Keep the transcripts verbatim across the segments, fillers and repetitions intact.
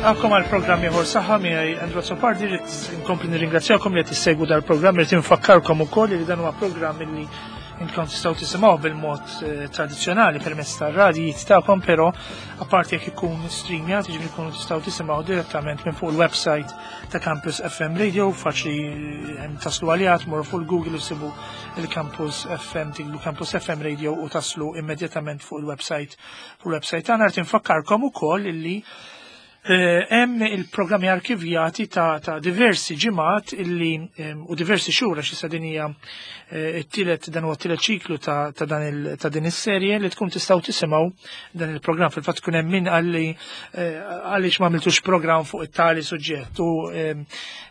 Nilqakom għal programm ieħor Saħħa miegħi Andrew Azzopardi. Rrid inkompli nirringrazzjakom li qed issegwu dal-programm, rrid infakkarkom ukoll li dan huwa programm li intom tistgħu tisimgħu bil-mod eh, tradizzjonali permezz tar-radijiet tagħkom, però apparti jekk ikun streamjat, jiġifieri jkunu tistgħu tisimgħu direttament minn fuq il-website ta' Campus F M Radio, faċli eh, taslu għaliha, tmorru fuq il-Google u sibu il-Campus F M, tiktbu Campus F M Radio u taslu immedjatament fuq il-website fuq il-website tagħna. Rrid infakkarkom ukoll illi Eh, hemm il-programmi arkivjati ta', ta diversi ġimgħat illi u diversi xhur, għax issa din hija eh, t-tielet dan huwa t-tielet ċiklu ta', ta, dan il, ta' din is-serje li tkun tistgħu tisimgħu dan il-programm. Fil-fatt tkun hemm min qalli eh, għaliex ma għamiltux programm fuq it-tali suġġett u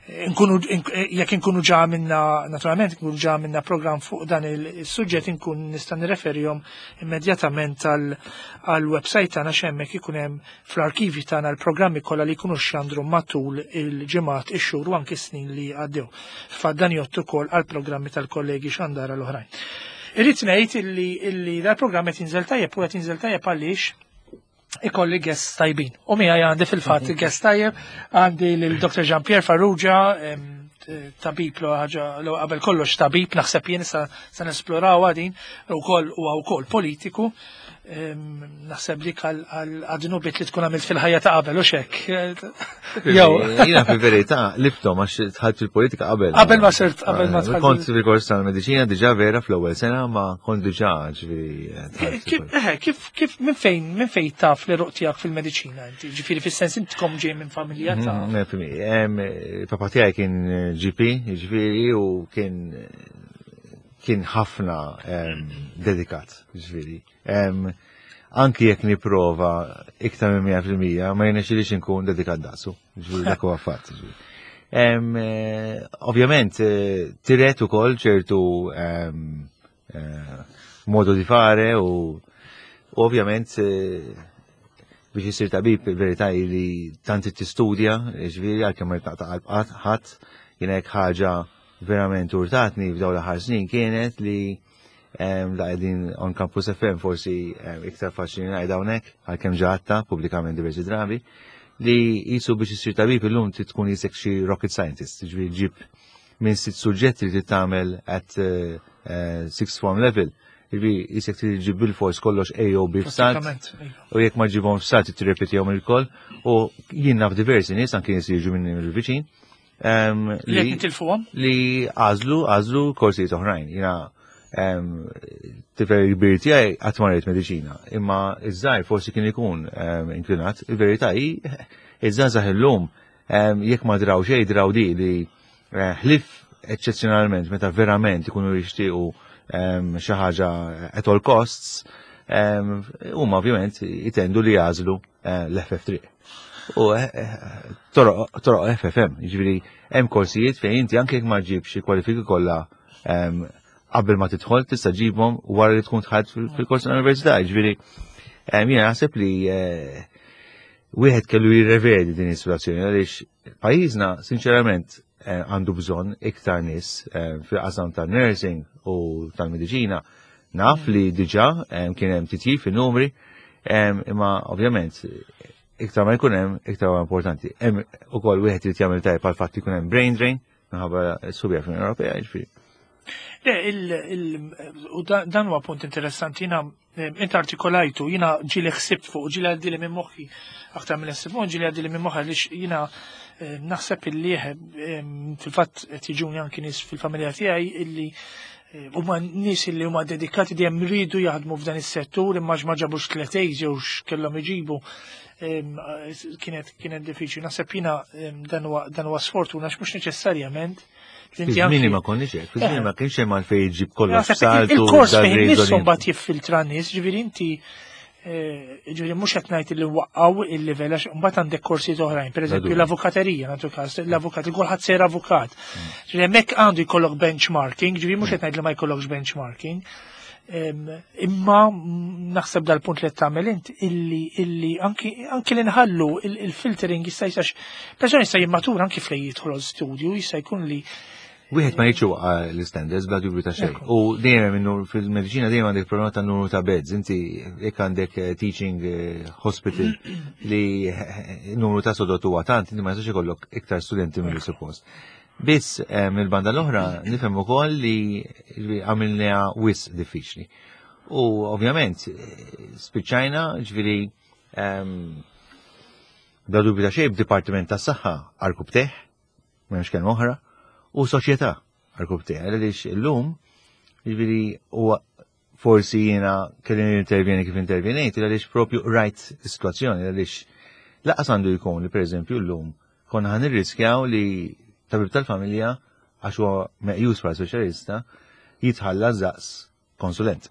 nkunu jekk inkunu ġa minna, naturalment nkunu ġa minna programm fuq dan il-suġġett, inkun nista' nirreferihom immedjatament għal-website tagħna, x'hemmhekk ikun hemm fl-arkivi tagħna l-programmi kollha li jkunu xandru matul il-ġimgħat, ix-xhur u anke snin li għaddew. Fa dan jgħoddu ukoll għall-programmi tal-kollegi xandara l-oħrajn. Irrid ngħid illi illi dal-programm qed jinżel tajjeb u qed jinżel tajjeb għaliex ikolli guest tajbin. U miegħi għandi fil-fatt guest tajjeb, għandi lil Doctor Jean-Pierre Farrugia, tabib, l ħaġa qabel kollox tabib, naħseb jien sa nesploraw għadin, ukoll huwa wkoll politiku. Naħseb dik għad-dnubiet li tkun għamilt fil-ħajja ta' qabel u xek. Jew. Jiena fil-verità liftom għax dħalt fil-politika qabel. Qabel ma sirt, qabel ma dħalt. Kont fil-kors tal-mediċina diġà vera fl-ewwel sena, ma kont diġà, ġifieri. Kif, kif, minn fejn, minn fejn taf li ruq tiegħek fil-mediċina inti? Ġifieri fis-sens intkom ġej minn familja ta' Mhm, Papa tiegħi kien G P, ġifieri, u kien kien ħafna dedikat, ġifieri. Anki jekk niprova iktar minn mija fil-mija, ma jirnexxilix inkun dedikat daqsu, ġifieri dak huwa fatt. Ġifieri. Em, eh, Ovvjament, eh, tiret ukoll ċertu em, eh, modo di fare u u ovvjament eh, biex jisir tabib, il-verità hi li tant tistudja, ġifieri għalkemm ma taqta' qalb ħadd, jiena hekk ħaġa verament urtatni f'dawn l-aħħar snin kienet li em, la qegħdin on Campus F M, forsi em, iktar faċli ngħid hawnhekk għalkemm ġatta pubblikament diversi drabi, li jisu biex isir tabib illum trid tkun jisek xi rocket scientist, ġifieri ġib minn sitt suġġetti li tagħmel at uh, uh, sixth form level. Ġifieri jisek trid ġib bil-fors kollox A o B f'salt Pratikament, iva. U jekk ma ġibhom f'salt tirrepetihom il-koll u jien naf diversi nies, anke nies li jiġu minn il-viċin em, Li qed nitilfuhom? Li għażlu għażlu korsijiet oħrajn. Jiena em, tifel kbir tiegħi qatt ma rrid mediċina, imma iż-żgħir forsi kien ikun em, inklinat. Il-verità hi iż-żgħażagħ illum em, jekk ma draw xejn draw di li eh, ħlif eċċezzjonalment meta verament ikunu jixtiequ em, xi ħaġa at all costs, em, huma ovvjament jitendu li jagħżlu eh, l-F F triq. U eh, eh, toroq toroq F F M, jiġifieri hemm korsijiet fejn inti anke jekk ma ġibx il-kwalifiki kollha em, qabel ma tidħol, tista' ġibhom wara li tkun dħalt fil- fil-kors tal-università, jiġifieri em, jiena naħseb li eh, wieħed kellu jirrevedi din is-situazzjoni għaliex pajjiżna sinċerament eh, għandu bżonn iktar nies eh, fil-qasam tal-nursing u tal-mediċina. Naf li diġà eh, kien hemm titjib fin-numri, eh, imma ovvjament iktar ma jkun hemm, iktar huwa importanti. Hemm ukoll wieħed irid jagħmel tajjeb għal fatt jkun hemm brain drain minħabba s-subja fl-Unjoni Ewropea, jiġifieri. Le, il, il, u da- dan huwa punt interessanti, jiena eh, inti artikolajtu, jiena ġieli ħsibt fuq, ġieli għaddili minn moħħi, aktar minn ħsibt fuq, ġieli għaddili minn moħħi għaliex jiena eh, naħseb illi eh, fil-fatt qed jiġuni anki nies fil-familja tiegħi illi eh, huma nies illi huma dedikati, dejjem ridu jaħdmu f'dan is-settur, imma ma ġabux tliet A's jew x'kellhom iġibu. Em, kienet kienet diffiċli. Naħseb jiena em, dan huwa dan huwa sfortuna għax mhux neċessarjament li inti Fi-żmieni anki- ma konniex hekk, fi-żmieni ma kienx hemm għalfejn jġib kollox Naħseb saltu. il-kors fejn nifsu mbagħad jiffiltra nies, ġifieri inti eh, ġifieri mhux qed ngħid li waqqaw il-livell għax mbagħad għandek korsijiet oħrajn, pereżempju dubju. l-avukaterija, nagħtu każ, l-avukat, kulħadd sejr avukat. Ġifieri hemmhekk għandu jkollok benchmarking, ġifieri mhux qed ngħid li ma jkollokx benchmarking. Em, Imma mm, naħseb dal-punt li qed tagħmel int illi illi anki anki li nħallu il- il-filtering jista' jistax persuna jista' jimmatura anki fejn jidħol studju jista' jkun li Wieħed ma jiġu l-standards bla dubju ta' xejn. U dejjem minnu fil-mediċina dejjem għandek problema ta' numru ta' beds. Inti jekk għandek eh, teaching eh, hospital li eh, numru ta' sodod huwa tant, inti ma jistax ikollok iktar studenti milli suppost. Biss mill-banda l-oħra nifhem ukoll li għamilniha wisq diffiċli. U ovvjament spiċċajna ġifieri ehm, bla dubju ta' xejn b'Dipartiment tas-Saħħa għarkupptejh, m'hemmx kelma oħra, u soċjetà għarkupptejh, għaliex illum, ġifieri u forsi jiena kelli intervjeni kif intervjenejt, għaliex propju rajt is-sitwazzjoni, għaliex lanqas għandu jkun li pereżempju llum konna ħa nirriskjaw li tabib tal-familja għax huwa meqjus bħala speċjalista jitħalla daqs konsulent.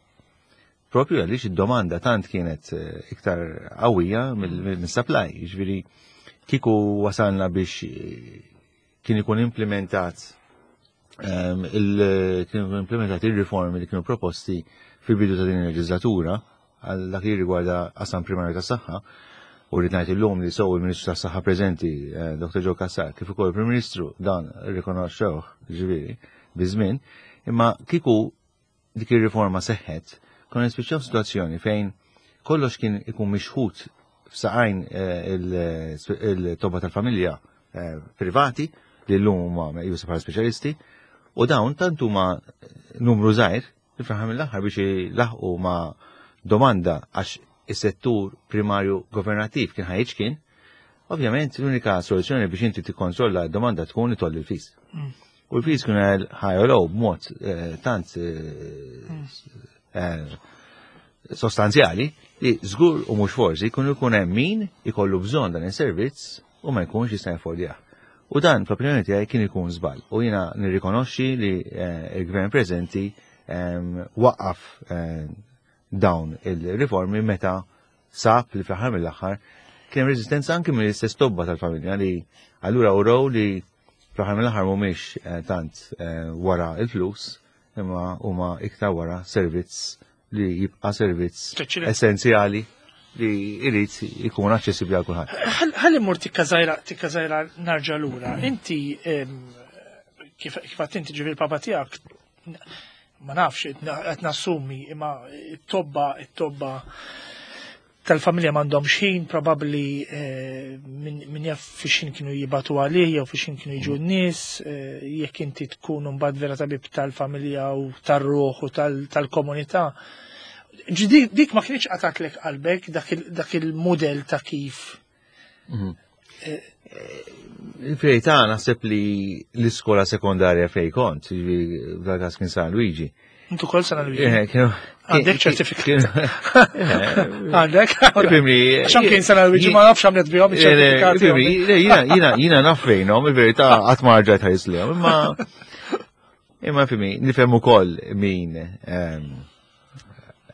Propju għaliex id-domanda tant kienet eh, iktar qawwija mill-supply, ġifieri kieku wasalna biex eh, kien ikun implementat ehm, kien ikun implementat il-riformi li kienu proposti fil-bidu ta' din il-leġislatura għal dak li rigwarda qasam primarju ta' saħħa u rrid ngħid illum li sew il-Ministru tas-Saħħa preżenti eh, Dr. Joe Cassar kif ukoll il-Prim Ministru dan rrikonoxxewh ġifieri biż-żmien, imma kieku dik ir-riforma seħħet, konna nispiċċaw situazzjoni fejn kollox kien ikun mixħut f'saqajn eh, il-tobba tal-familja eh, privati li llum huma meqjusa bħala speċjalisti u dawn tant huma numru żgħir li fl-aħħar mill-aħħar biex laħqu ma' domanda għax is-settur primarju governattiv kien ħa jiċkien, ovvjament l-unika soluzzjoni biex inti tikkontrolla d-domanda tkun li tgħolli l-fees. Mm. U l-fees kienu ħa jogħlew b'mod eh, tant eh, eh, sostanzjali li żgur u mhux forsi jkun ikun hemm min ikollu bżonn dan is-servizz u ma jkunx jista' jaffordjah. U dan fl-opinjoni tiegħi kien ikun żball. U jiena nirrikonoxxi li l-gvern preżenti ehm, waqqaf dawn il-riformi meta sab li fl-aħħar mill-aħħar kien hemm reżistenza anke mill-istess tobba tal-familja li allura uraw li fl-aħħar mill-aħħar mhumiex eh, tant eh, wara il-flus imma huma iktar wara servizz li jibqa' servizz essenzjali li jrid ikun aċċessibbli għal kulħadd. Ħalli mmur tikka żgħira tikka żgħira nerġa' lura. Inti kif kif inti ġifieri papa tiegħek ma nafx qed nassumi imma it-tobba it-tobba tal-familja m'għandhom xħin, probabbli eh, min jaf fix kienu jibagħtu għalih jew fix kienu jiġu n-nies, eh, jekk inti tkun mbagħad vera tabib tal-familja u tar-ruħ u tal-komunità. Dik ma kienx qatatlek qalbek dak il-modell ta' kif. Mhm. Eh, Il-verità naħseb li l-iskola sekondarja fej kont, ġifieri kien San Luigi, Intu kol San Luigi. Għandek ċertifikat. Għandek? Ifhimni. Għaxan kien San Luigi ma nafx għamlet bihom iċ-ċertifikat. Jiena jiena naf fejnhom, il-verità qatt ma rġajt ħares lejhom, imma imma fhimni, nifhem ukoll min ehm,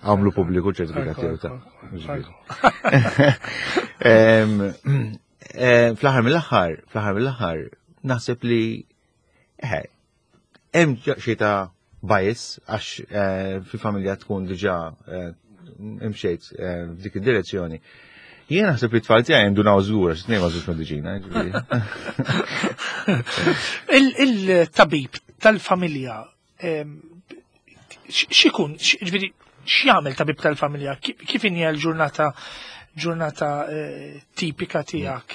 għamlu pubbliku ċertifikat tiegħu ta' Ehm, eh, fl-aħħar mill-aħħar, fl-aħħar mill-aħħar, naħseb li eh, hemm xi ta' bias għax eh, fil-familja tkun diġà eh, imxejt eh, f'dik id-direzzjoni. Jien naħseb li t-tfal tiegħi jindunaw żgur għax tnejn ma mediċina. Ġifieri. Il-tabib tal-familja x'ikun, ġifieri x'jagħmel tabib tal-familja? Kif inhi l-ġurnata ġurnata tipika tiegħek?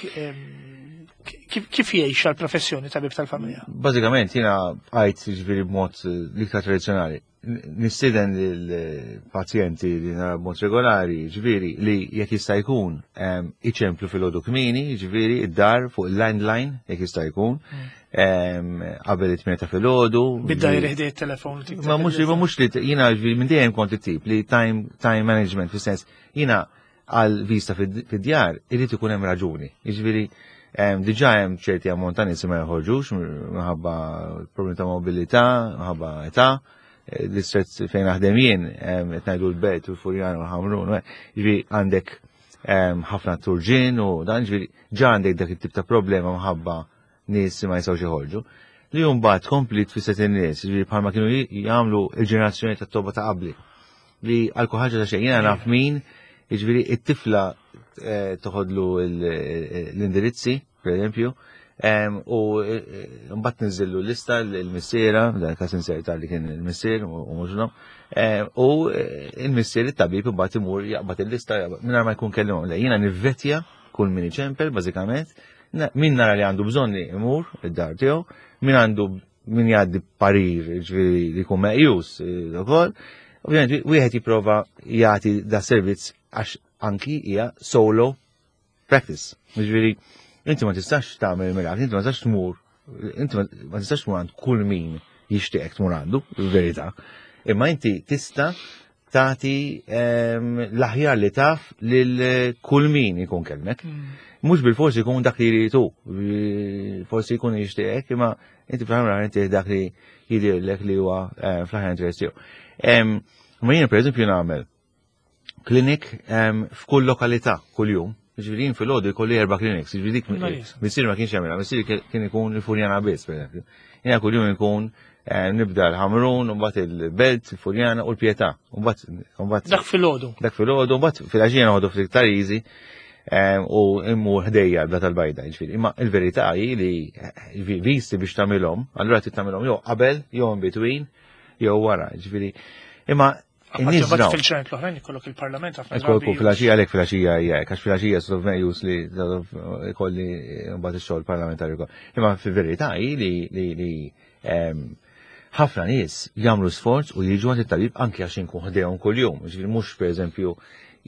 Kif jgħix għal-professjoni tabib tal-familja? Bażikament jiena għajt ġifieri b'mod l-iktar tradizzjonali. Nistieden lill-pazjenti li nara b'mod regolari, ġifieri li jekk jista' jkun iċemplu filgħodu kmieni, ġifieri id-dar fuq il-landline jekk jista' jkun, qabel it-tmienja ta' filgħodu. Bid-dajri ħdejn it-telefon. Ma mhux ma mhux li jiena ġifieri minn dejjem kont it-tip li time time management fis-sens jiena għal vista fid-djar irid ikun hemm raġuni. Jiġifieri diġà hemm ċerti ammont ta' nies ma joħorġux minħabba problemi ta' mobilità, minħabba età, l-istret fejn naħdem jien qed ngħidu l-Belt u l-Furjana u l-Ħamrun, ġifieri għandek ħafna turġien u dan ġifieri ġa għandek dak it-tip ta' problema minħabba nies ma jistgħux joħorġu. Li mbagħad tkompli tfisset in-nies, ġifieri bħalma kienu jagħmlu l-ġenerazzjoni tat-tobba ta' qabli. Li għal kull ħaġa ta' xejn jiena naf min, jiġifieri it-tifla toħodlu l-indirizzi, per eżempju, U eh, mbagħad niżillu lista l-missiera, dan każ inserta li kien il-missier u mhux U eh, il-missier it-tabib imbagħad imur jaqbad il-lista mingħajr ma jkun kellimhom. Jiena nivvetja kull min iċempel bażikament, min nara li għandu bżonn li imur id-dar tiegħu, min għandu min jgħaddi parir, ġifieri li jkun meqjus eh, ukoll. Ovvjament wieħed jipprova jagħti da servizz għax anki hija solo practice. Ġifieri inti ma tistax tagħmel mirakli, inti ma tistax tmur, inti ma tistax tmur għand kull min jixtieqek tmur għandu, verità. Imma inti tista' tagħti ehm, l-aħjar li taf lil kull min ikun kellmek. Mm. Mhux bil-forsi jkun dak li jridu, forsi jkun jixtieqek, imma inti fl-aħħar inti dak li jidhirlek li huwa eh, fl-aħjar interess tiegħu. Ma jiena pereżempju nagħmel klinik f'kull lokalità kull jum. Ġifieri fil-għodu jkolli erba' clinics, ġifieri dik missier ma kienx jagħmilha, missier kien ikun il-Furjana biss, pereżempju. Jiena kull jum ikun eh, nibda l-Ħamrun, u mbagħad il-Belt, il-Furjana u l-Pietà. Dak fil-għodu. Dak fil-għodu, mbagħad fil-għaxija noħodu ftit iktar easy u immur ħdejja l tal-Bajda, ġifieri. Imma il-verità hi li eh, visti biex tagħmilhom, allura trid tagħmilhom jew qabel, jew in between, jew wara, ġifieri. Imma Fil-ċerent l-oħrajn ikollok il-parlament ħafna. Ikollok fil-għaxija, għalek fil-għaxija hija, għax fil-għaxija sort of meqjus li ikolli mbagħad ix-xogħol parlamentari wkoll. Imma fil-verità hi li li ħafna nies jagħmlu sforz u jiġu għand it-tabib anke għax inkun ħdejhom kuljum. Ġifieri mhux pereżempju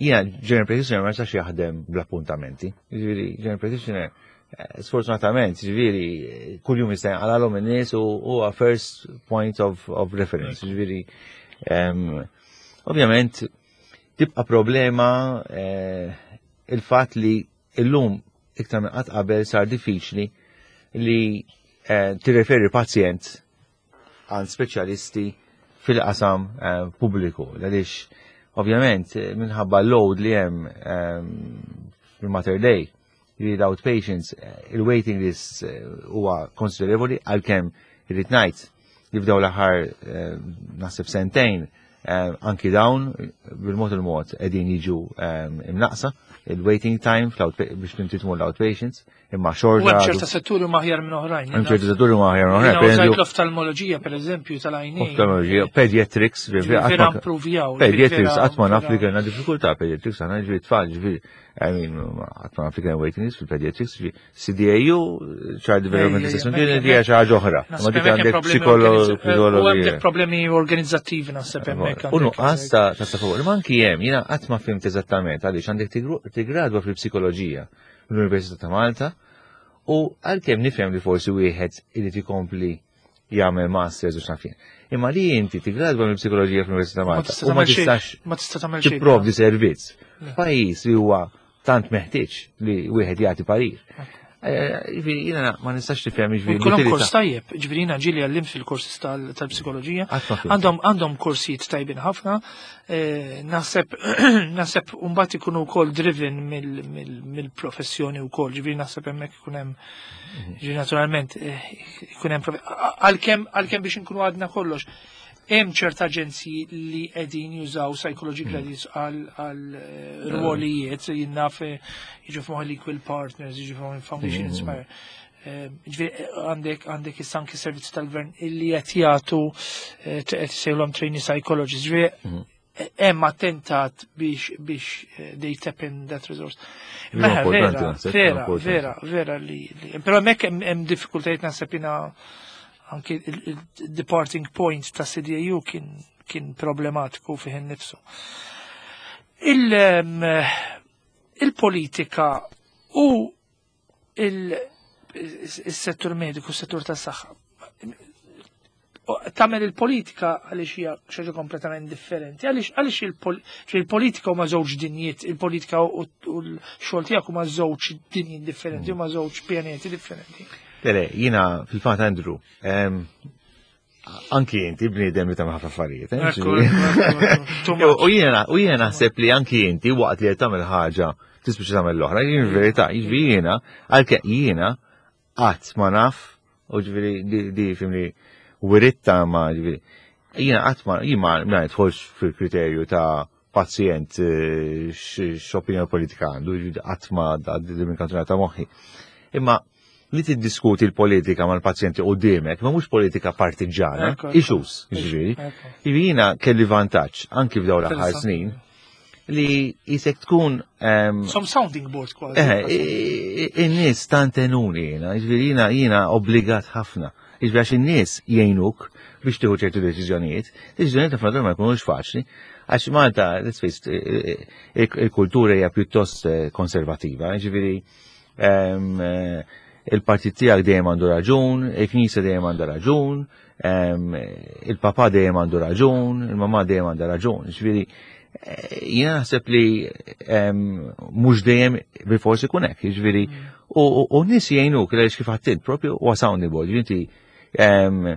jiena general practitioner ma jistax jaħdem bl-appuntamenti. Ġifieri general practitioner eh, sfortunatament, ġifieri kuljum jista' jinqalalhom in-nies u huwa first point of, of reference. Ġifieri ovvjament tibqa' problema eh, il-fatt li illum iktar minn qatt qabel sar diffiċli li eh, tirreferi pazjent għand speċjalisti fil-qasam eh, pubbliku. Għaliex ovvjament minħabba load li hemm fil-Mater Dei li l-outpatients, il-waiting list huwa konsiderevoli, għalkemm irrid ngħid li f'daw l-aħħar naħseb sentejn anki dawn bil-mod il-mod qegħdin jiġu imnaqsa il-waiting time biex inti tmur l-outpatients, imma xorta. U hemm ċerta setturi aħjar minn oħrajn. Hemm ċerta setturi aħjar minn oħrajn. L-oftalmoloġija pereżempju tal-għajnejn. Oftalmoloġija, pediatrics, vera improvjaw. Pediatrics, qatt ma naf li kellna diffikultà pediatrics, għandna ġifieri tfal, ġifieri, I mean, qatt ma naf li kellna waiting list fil-pediatrics, C D A U, Child Development Assessment Unit, hija xi ħaġa oħra. Ma dik għandek psikologi. Problemi organizzattivi naħseb hemmhekk. U nuqqas ta' ta' Ma anki hemm, jiena qatt ma fhimt eżattament għaliex għandek tigradwa fil-psikoloġija l-Università ta' Malta u għalkemm nifhem li forsi wieħed irid ikompli jagħmel masters u x'naf jien. Imma li inti tigradwa mill-psikoloġija fl-Università ta' Malta u ma tistax ma tista' tagħmel xejn. Tipprovdi servizz f'pajjiż li huwa tant meħtieġ li wieħed jagħti parir. Eh, ġifieri, jiena ma nistax tifhem ġifieri. Kollhom kors tajjeb, ġifieri jiena ġieli għallimt fil-kors tal-psikoloġija. Għandhom għandhom korsijiet tajbin ħafna. Eh, naħseb naħseb mbagħad ikunu wkoll driven mill-professjoni wkoll, ġifieri naħseb hemmhekk ikun hemm mhm. ġifieri naturalment eh, ikun hemm għalkemm għalkemm biex inkunu għadna kollox. Hemm ċerta aġenzji li qegħdin jużaw psychology mm. credits għal eh, rwolijiet, jien naf eh, jiġu f'moħħi l-Equal Partners, jiġu f'moħħi Foundation mm. Inspire. Eh, ġifieri għandek għandek issa anki servizzi tal-gvern illi qed jagħtu qed isejħulhom trainee psychologists. Ġifieri mm. hemm attentat biex biex they tap in that resource. Mela vera, vera, vera, vera li, però hemmhekk hemm diffikultajiet naħseb jiena anki il-departing point ta' C D A U kien, kien problematiku fih innifsu. Il-politika u il-settur mediku, il-settur tas saħħa tagħmel il-politika għaliex hija xi ħaġa kompletament differenti? Għaliex għaliex il-politika huma żewġ dinjiet, il-politika u l-xogħol tiegħek huma żewġ dinjiet differenti, huma żewġ pjaneti differenti? Le, le, jiena fil-fatt, Andrew, anki inti bniedem li tagħmel ħafna affarijiet. Eh, u jiena u jiena naħseb li anki inti waqt li qed tagħmel ħaġa tispiċċa tagħmel l-oħra, jien verità, jiġifieri jiena għalkemm jiena qatt ma naf, u ġifieri di fimni wiritta ma ġifieri jiena qatt ma jien ma nidħolx fil-kriterju ta' pazjent eh, x'opinjoni politika għandu, qatt ma għaddi minn kantunata moħħi. Imma li tiddiskuti l-politika mal-pazjenti qudiemek, ma mhux politika partiġana, Ekku, ekku. issues, jiġifieri. Ekku. Jiġifieri jiena kelli vantaġġ anki f'dawn l-aħħar Interessanti. snin li jisek tkun em, Some sounding board kważi. Eh, i- i- in-nies tantenuni jiena, jiġifieri jiena jiena obbligat ħafna. Jiġifieri għax in-nies jgħinuk biex tieħu ċertu deċiżjonijiet, deċiżjonijiet ħafna drabi ma jkunux faċli, għax Malta, let's face it, il- il-kultura hija pjuttost eh, konservativa, jiġifieri em, eh, il-partit tiegħek dejjem għandu raġun, il-knisja dejjem għandha raġun, em, il-papa dejjem għandu raġun, il-mamà dejjem għandha raġun. Jiġifieri eh, jiena naħseb li em, mhux dejjem bilfors ikun hekk, jiġifieri u u- u n-nies jgħinuk għaliex kif għedt int propju huwa sounding board, inti em,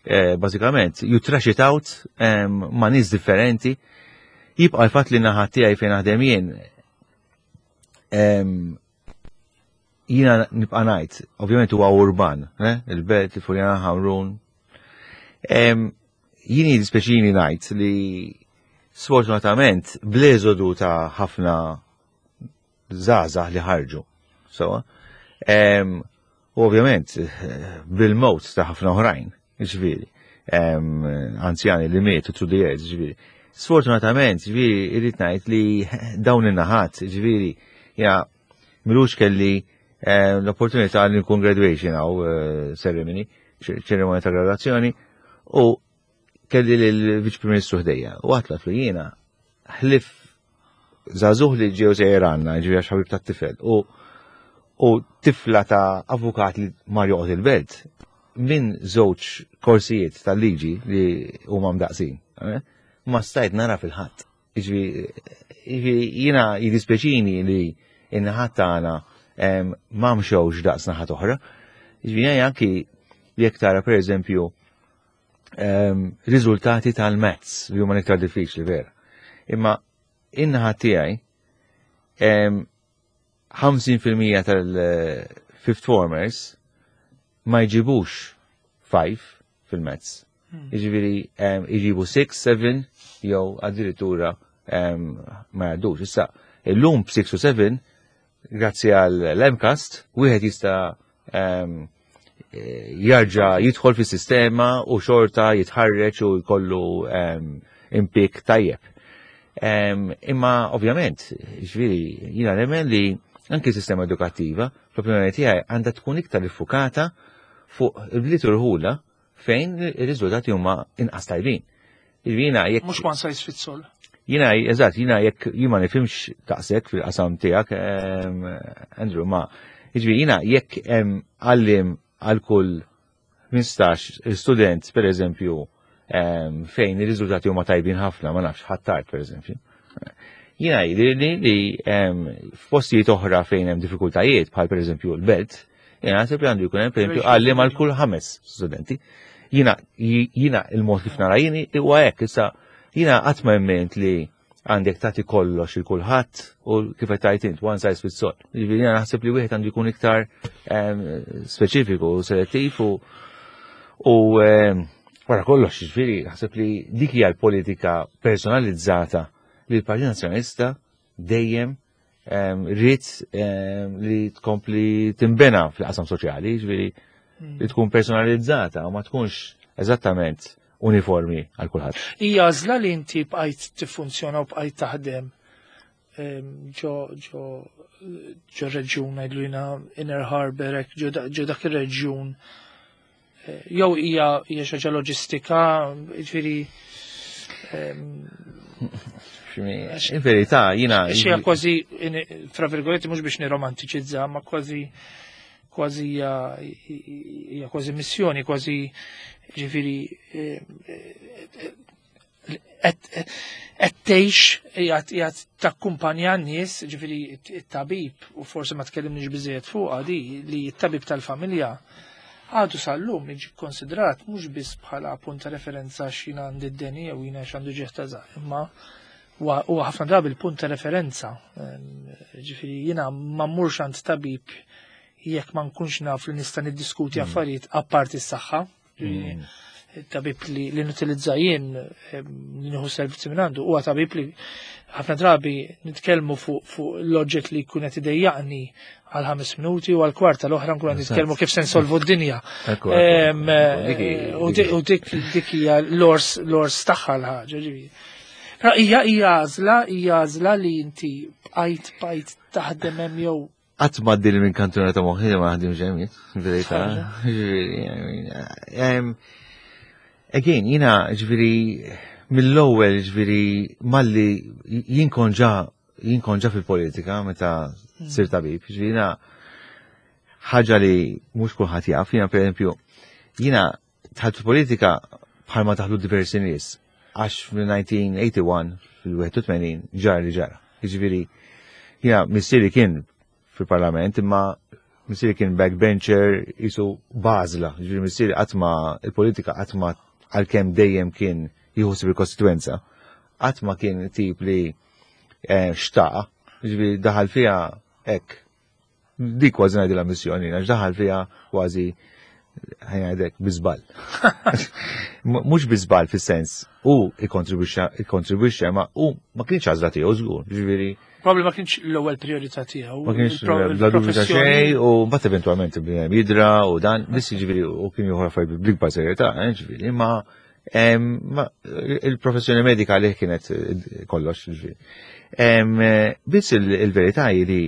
eh, bażikament you trash it out em, ma' nies differenti. Jibqa' l-fatt li naħa tiegħi fejn naħdem jien em, jiena nibqa' ngħid, ovvjament huwa urban, eh? Il-Belt, il-Furjana, Ħamrun. Em, Jien jiddispjaċini ngħid li sfortunatament bl-eżodu ta' ħafna żgħażagħ li ħarġu. So, em, u ovvjament eh, bil-mewt ta' ħafna oħrajn, ġifieri, em, anzjani li mietu through the years, ġifieri. Sfortunatament, ġifieri, irrid ngħid li dawn in-naħat, ġifieri, ja, m'ilux kelli eh, l-opportunità li nkun graduation għaw eh, ceremony, ċerimonja ta' graduazzjoni, u kelli l-Viċ Prim Ministru ħdejja, u għedtlu jiena, ħlief żagħżugħ li ġew sejjer għandna, ġifieri għax ħabib ta' tifel, u u tifla ta' avukat li mar joqgħod il-Belt, minn żewġ korsijiet tal-liġi li huma mdaqsin, eh, ma stajt nara fil-ħadd. Jiġifieri jiena jiddispjaċini li in-naħat tagħna em, ma mxewx daqs naħat oħra. Jiġifieri anki jekk tara pereżempju em, riżultati tal-maths li huma iktar diffiċli vera. Imma in-naħa tiegħi em, ħamsin fil-mija tal-fifth formers ma jġibux ħamsa fil-maths. Jiġifieri em, jġibu sitta, seba jew addirittura em, ma jgħaddux. Issa, illum b'sitta u seba, grazzi għal l-MCAST, wieħed jista' em, eh, jarġa jidħol fis-sistema u xorta jitħarreġ u jkollu em, impik tajjeb. Em, Imma ovvjament, ġifieri, jiena nemmen li anki sistema edukattiva, fl-opinjoni tiegħi għandha tkun iktar iffukata fuq il-bliet u rħula fejn ir-riżultati huma inqas tajbin. Jiena jekk Mhux one size fits all. Jiena, eżatt, jiena jekk jien ma nifhimx daqshekk fil-qasam tiegħek, em, Andrew, ma jiġifieri jiena jekk hemm għalliem għal kull ħmistax student, per eżempju, em, fejn ir-riżultati huma tajbin ħafna, ma nafx, Ħ'Attard, per eżempju. Jiena jidhirli li em, f'postijiet oħra fejn hemm diffikultajiet, bħal per eżempju l-Belt, jiena naħseb li għandu jkun hemm per eżempju għalliem għal kull ħames studenti. Jiena jiena il-mod kif nara jieni huwa hekk, issa jiena qatt ma emmint li għandek tagħti kollox il kulħadd u kif qed tgħid int one size fits all. Jiġifieri jiena naħseb li wieħed għandu jkun iktar em, speċifiku u selettiv u u em, wara kollox, jiġifieri naħseb li dik hija l-politika personalizzata li l-Partit Nazzjonalista dejjem em, ried em, li tkompli timbena fil-qasam soċjali, jiġifieri li tkun personalizzata u ma tkunx eżattament uniformi għal kulħadd. Hija għażla li inti bqajt tiffunzjona u bqajt taħdem em, ġo ġo ġo reġjun ngħidlu jiena Inner Harbour hekk, ġo da- ġo dak ir-reġjun. Eh, Jew hija hija xi ħaġa loġistika, jiġifieri em, In verità, jiena. Xi kważi, in- fra virgoletti, mhux biex niromantiċizza, ma kważi kważi hija hija kważi missjoni, kważi ġifieri eh, eh, qed qed tgħix qiegħed qiegħed takkumpanja n-nies, ġifieri it-tabib, u forsi ma tkellimniex biżejjed fuqha di li t-tabib tal-familja għadu sal-lum jiġi konsidrat mhux biss bħala punt ta' referenza x'jina għandi d-deni jew jiena x'għandu ġieħ ta' żaq, imma huwa huwa ħafna drabi l-punt ta' referenza. Ehm, Ġifieri jiena ma mmurx għand tabib jekk ma nkunx naf li nista' niddiskuti affarijiet apparti s-saħħa. Ġifieri, Tabib li, li nutilizza jien, li nieħu servizzi minn għandu, huwa tabib li ħafna drabi nitkellmu fuq fu l-oġġett li jkun qed idejjaqni għal ħames minuti u għal kwarta l-oħra nkun qed nitkellmu kif se nsolvu d-dinja. U dik dik hija l-ors l-ors tagħha l-ħaġa, ġifieri. Però hija hija għażla, hija għażla li inti bqajt bqajt taħdem hemm jew Qatt ma għaddieli minn kantuna ta' moħħi ma ħadim ġemmi, verità. Again, jiena ġifieri mill-ewwel, ġifieri malli jien kont ġa jien kont ġa fil-politika meta sir tabib, ġifieri jiena ħaġa li mhux kulħadd jaf, jiena pereżempju, jiena dħalt fil-politika bħalma daħlu diversi nies, għax fil-elf disa' mija u wieħed u tmenin, fil-wieħed u tmenin ġara li ġara. Ġifieri jiena missieri kien fil-parlament, imma missieri kien backbencher jisu bażla, ġifieri missieri qatt ma il-politika qatt ma, għalkemm dejjem kien jieħu il-kostituenza, qatt ma kien tip li eh, xtaq, ġifieri daħal fiha hekk. Dik kważi ngħidilha missjoni, għax daħal fiha kważi, ħa ngħidlek, bi żball. Mhux bi żball fis-sens u ikkontribwixxa, ma u ma kienx għażla tiegħu żgur, ġifieri Probably ma kienx l-ewwel priorità tiegħu. Ma kienx, bla dubju ta' xejn, u mbagħad eventwalment bniedem jidra u dan, biss ġifieri u kien jieħu affarijiet bl-ikbar serjetà, eh, ġifieri, imma il-professjoni medika li kienet eh, kollox, ġifieri. Biss il-verità hi li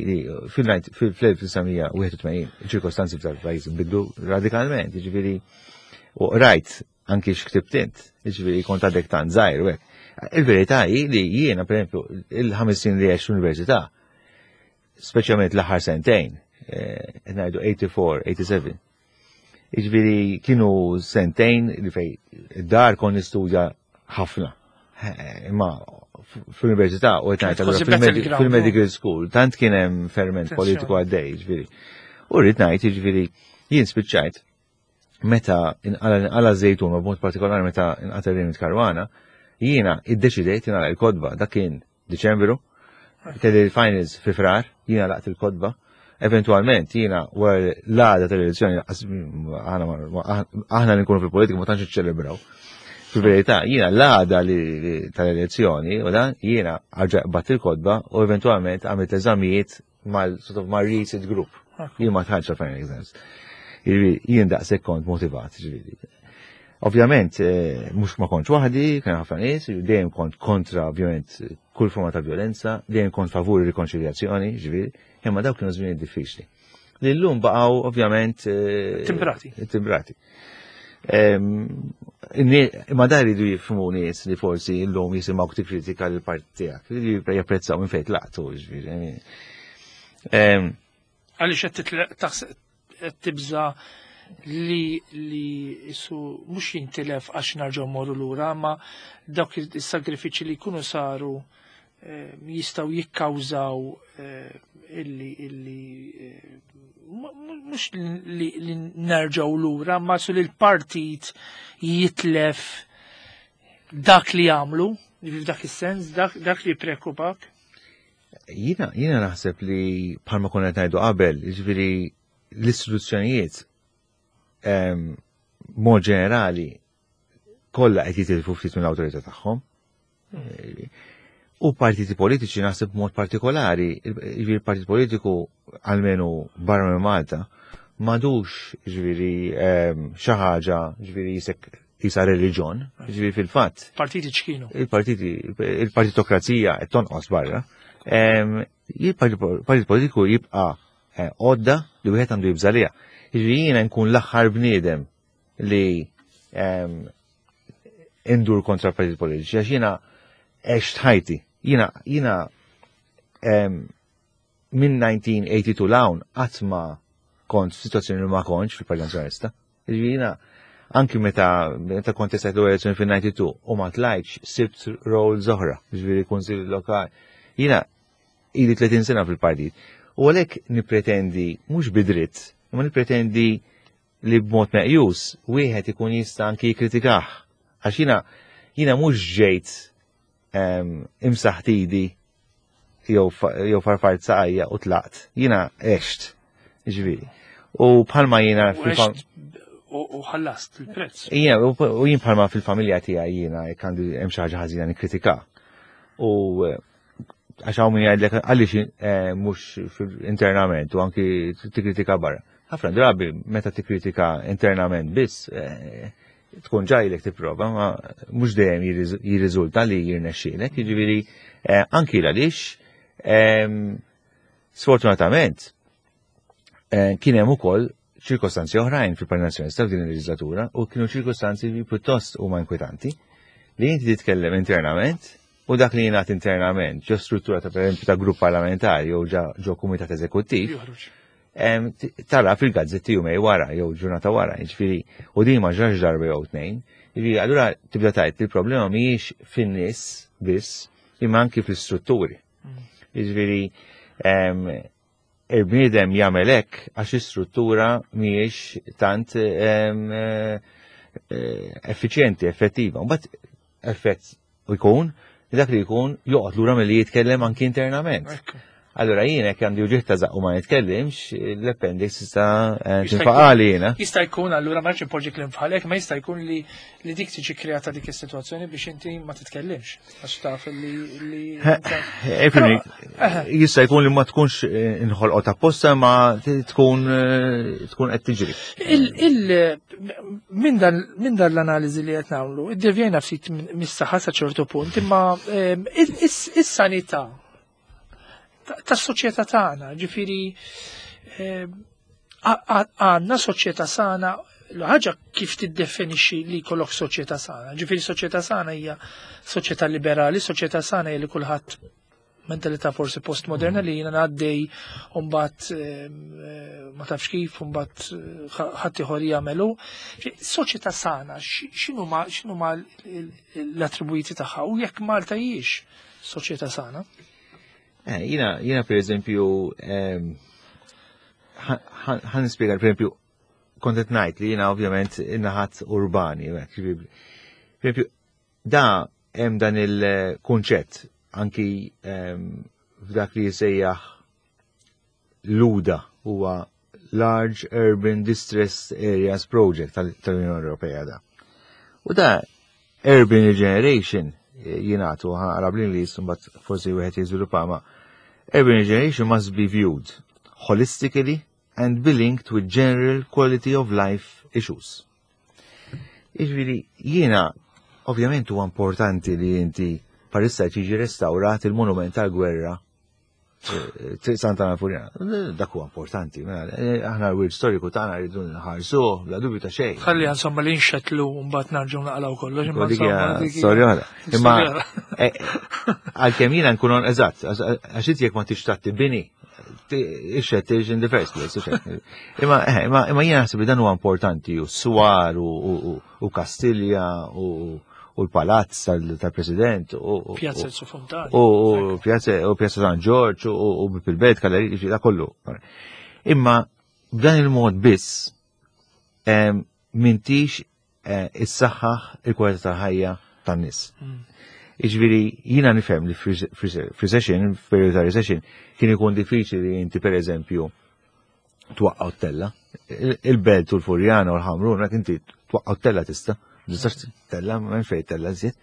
fil-elf disa' mija u wieħed u tmenin ċirkostanzi f'dal-pajjiż bidlu radikalment, ġifieri, u rajt anki x'ktibt int, ġifieri kont għadek tant żgħir u hekk. Il-verità hi li jiena, per esempio, il-ħames snin li għext l-università, speċjalment l-aħħar sentejn, eh, ngħidu tmien u tmenin, tmienja u sebgħin. Ġifieri kienu sentejn li fej id-dar kon nistudja ħafna. Eh, imma fl-università u ngħid fil-medical school, tant kien hemm ferment politiku għaddej, ġifieri. U rrid ngħid, ġifieri, jien spiċċajt meta inqala Żejtun, b'mod partikolari meta inqatel Raymond Caruana, jiena iddeċidejt nagħlaq il-kotba, dak kien Diċembru, kelli il-finals fi Frar, jiena għalaqt il-kotba. Eventualment jiena wara l-għada tal-elezzjoni, aħna li nkunu fil-politika ma tantx iċċelebraw. Fil-verità, jiena l-għada tal-elezzjoni, u dan jiena qbadt il-kotba u eventualment għamilt eżamijiet mal sort of mal resit group. Jien ma dħaltx final exams. Jien daqshekk kont motivat, ġifieri. Ovvjament, eh, mhux ma kontx waħdi, kien ħafna nies, dejjem kont kontra ovvjament kull forma ta' violenza, dejjem kont favur rikonċiljazzjoni, ġifieri, imma dawk kienu żmien diffiċli. Li llum baqgħu ovvjament eh, timbrati. Timbrati. Imma dar iridu jifhmu nies li forsi llum jisimgħu tikkritika l-partit tiegħek, li japprezzaw minn fejn tlaqtu, ġifieri. Għaliex qed tibża li li isu mhux jintilef għax nerġgħu morru lura, ma dawk is-sagrifiċi li jkunu saru eh, jistgħu jikkawżaw eh, illi illi eh, mhux li, li nerġgħu lura, ma su li l-partit jitlef dak li jagħmlu, f'dak is-sens, dak, dak li preokupak. Jiena, jiena naħseb li bħalma konna qed ngħidu qabel, jiġifieri l-istituzzjonijiet mod ġenerali kollha qed jitilfu ftit mill-awtorità tagħhom. U partiti politiċi naħseb mod partikolari, jiġifieri partit politiku almenu barra minn Malta, m'għadux ġifieri xi ħaġa ġifieri jisek jisa reliġjon, ġifieri fil-fatt. Partiti ċkienu. Il-partiti, il-partitokrazija qed tonqos barra. Il-partit politiku jibqa' eh, għodda li wieħed għandu jibża' liha. Jiġifieri jiena nkun l-aħħar bniedem li indur kontra partit politiċi, għax jiena għext ħajti. Jiena, jiena minn elf disa' mija u tnejn u tmenin 'l hawn qatt ma kont f'sitwazzjoni li ma kontx fil-Partit Nazzjonalista. Jiġifieri jiena anki meta meta kontestajt l-elezzjoni fil-tnejn u disgħin u ma tlajtx, sibt roles oħra, jiġifieri kunsill lokali. Jiena ili tletin sena fil-partit. U għalhekk nipretendi mhux bidritt, ma nipretendi li b'mod meqjus wieħed ikun jista' anki jikkritikah. Għax jiena jiena mhux ġejt imsaħt idi jew farfart saqajja u tlaqt. Jiena għext, ġifieri. U bħalma jiena U ħallast il-prezz. Ija, u jien bħalma fil-familja tiegħi jiena jekk għandi hemm xi ħaġa ħażina nikkritika. U eh, għax hawn min jgħidlek għaliex eh, mhux internament u anki tikkritika barra. Ħafna drabi meta tikkritika internament biss eh, tkun ġajlek tipprova, ma mhux dejjem jirriżulta li jirnexxielek, jiġifieri anki għaliex ehm, sfortunatament kien hemm ukoll ċirkostanzi oħrajn fil-Partit Nazzjonalista f'din il-leġislatura u kienu ċirkostanzi li pjuttost huma inkwetanti li inti titkellem internament u dak li jingħad internament ġo struttura ta' pereżempju ta' grupp parlamentari jew ġo kumitat eżekuttiv tara fil-gazzetti jumejn wara jew ġurnata wara, jiġifieri u din ma ġrax darba jew tnejn. Jiġifieri allura tibda tgħid li l-problema mhijiex fin-nies biss imma anki fl-istrutturi. Mm. Jiġifieri il-bniedem jagħmel hekk għax is-struttura mhijiex tant eh, effiċjenti, effettiva. Mbagħad effett jkun dak li jkun joqgħod lura milli jitkellem anki internament. Allora jien hekk għandi uġigħ ta' żaqq u ma nitkellimx, l-appendix issa eh, tinfaqali jiena. Jista' jkun allura ma rridx inpoġġi kliem bħalek, ma jista' jkun li li dik tiġi kreata dik is-sitwazzjoni biex inti ma titkellimx għax taf li li eh, jista' jkun li ma tkunx eh, inħolqot apposta ma tkun tkun qed tiġri. Minn dan l-analiżi li qed nagħmlu, iddevjajna ftit mis-saħħa sa ċertu punt, imma is-sanità tas-soċjetà tagħna, ġifieri eh, għandna soċjetà sana, l-ħaġa kif tiddefinixxi li jkollok soċjetà sana. Ġifieri soċjetà sana hija soċjetà liberali, soċjetà sana hija li kulħadd mentalità forsi postmoderna li jiena ngħaddej u mbagħad eh, ma tafx kif u mbagħad ħadd ieħor jagħmelu. Soċjetà sana, x'inhuma x'inhuma l-attribwiti tagħha u jekk Malta hijiex soċjetà sana? Eh, jina, jina per eżempju, ħa nispjega, per eżempju, kont qed ngħid li jina ovvjament in-naħat urbani, per eżempju, da hemm dan il-kunċett anki f'dak li jisejjaħ l-UDA huwa Large Urban Distressed Areas Project tal-Unjoni Ewropea da. U da Urban Regeneration jingħatu ħara bl-Ingliż mbagħad forsi wieħed jiżviluppa ma urban regeneration must be viewed holistically and be linked with general quality of life issues. Jiġifieri jiena ovvjament huwa importanti li inti parissa tiġi restawrat il-monument tal-gwerra eh, Santa Furjana. Dak huwa importanti. Mela, eh, aħna l-wirt storiku tagħna rridu nħarsuh bla dubju ta' xejn. Ħalli insomma li nxetlu mbagħad narġgħu naqalgħu kollox. Imma storja oħra. Imma eh, għalkemm jiena nkun eżatt, għax inti jekk ma tixtaq tibni ixxet in the first place. Imma imma imma jiena naħseb li dan huwa importanti u swar u Kastilja u u l-palazz tal-president u Pjazza Fontana. U Pjazza u Pjazza San Ġorġ u bil-belt kalleri da kollu. Imma b'dan il-mod biss m'intix eh, issaħħaħ il-kwalità tal-ħajja tan-nies. Mm. Iġviri, jina nifhem li f'recession, f'periodu ta' recession, kien ikun diffiċli li inti per eżempju twaqqaw tella. Il-Belt u l-Furjana u l-Ħamrun, inti twaqqaw tella tista' Tistax tella, ma fejn tella żied.